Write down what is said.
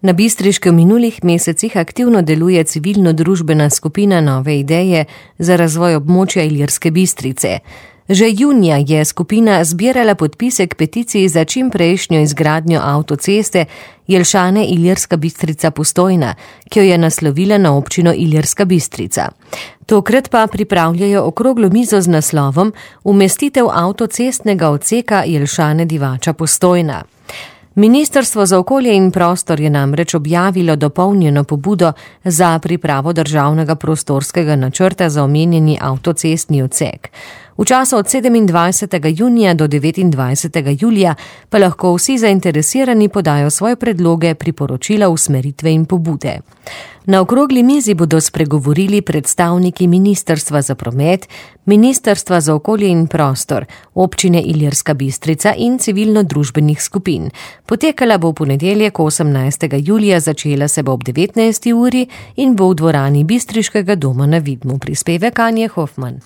Na Bistriškem v minulih mesecih aktivno deluje civilno-družbena skupina Nove ideje za razvoj območja Ilirske Bistrice. Že junija je skupina zbirala podpise k peticiji za čimprejšnjo izgradnjo avtoceste Jelšane-Ilirska Bistrica-Postojna, ki jo je naslovila na občino Ilirska Bistrica. Tokrat pa pripravljajo okroglo mizo z naslovom Umestitev avtocestnega odseka Jelšane-Divača-Postojna. Ministrstvo za okolje in prostor je namreč objavilo dopolnjeno pobudo za pripravo državnega prostorskega načrta za omenjeni avtocestni odsek. V času od 27. junija do 29. julija pa lahko vsi zainteresirani podajo svoje predloge, priporočila, usmeritve in pobude. Na okrogli mizi bodo spregovorili predstavniki Ministrstva za promet, Ministrstva za okolje in prostor, občine Ilirska Bistrica in civilno-družbenih skupin. Potekala bo v ponedeljek 18. julija, začela se bo ob 19. uri in bo v dvorani Bistriškega doma na Vidmu. Prispevek Anje Hofman.